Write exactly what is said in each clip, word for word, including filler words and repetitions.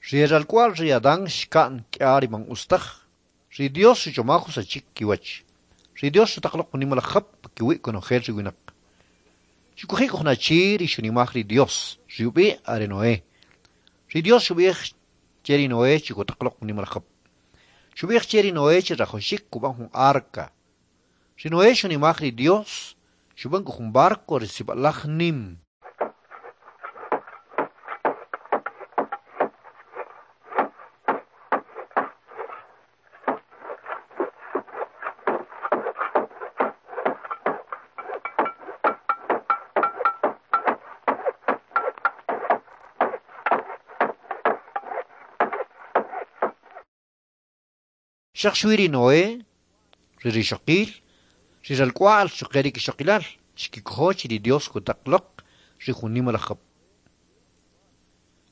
Ri e ralk'wa'l ri Adán xka'n k'ya ri man utz taj. Ri Dios xuchomaj usachik kiwach. Ri Dios xutaq loq jun nimalaj jab' pakiwi' konojel ri winaq. Xuk'oji' k'u jun achi ri xunimaj ri Dios, ri ub'i' are Noé. Ri Dios xub'ij che ri Noé chi kutaq loq jun nimalaj jab'. Xub'ij che ri Noé chi rajawaxik kub'an jun arca. Ri Noé xunimaj ri Dios, xub'an k'u jun barco ri sib'alaj nim. Xaq xwi ri Noé, ri rixoqil, ri ralk'wa'l xuquje' ri kixoqilal xkikojo chi ri Dios kutaq loq ri jun nimalaj jab'.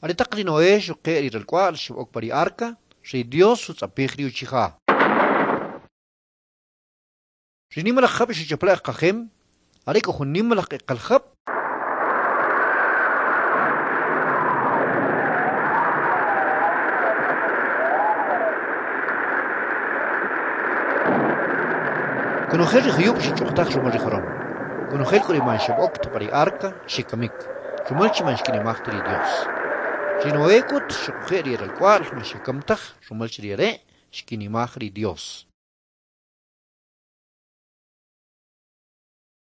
Aretaq ri Noé xuquje' ri ralk'wa'l xeb'ok pa ri arca, ri Dios xutz'apij ri uchija. Ri nimalaj jab' xuchaple'j qajem, are k'u jun nimalaj q'eqal jab'. Konojel ri juyub' xech'uqtaj rumal ri joron. Konojel k'u ri man xeb'ok ta pa ri arca xekamik, rumal chi man xkinimaj ta ri Dios. Ri Noé k'ut xuquje' ri ralk'wa'l man xekam taj rumal chi ri are' xkinimaj ri Dios.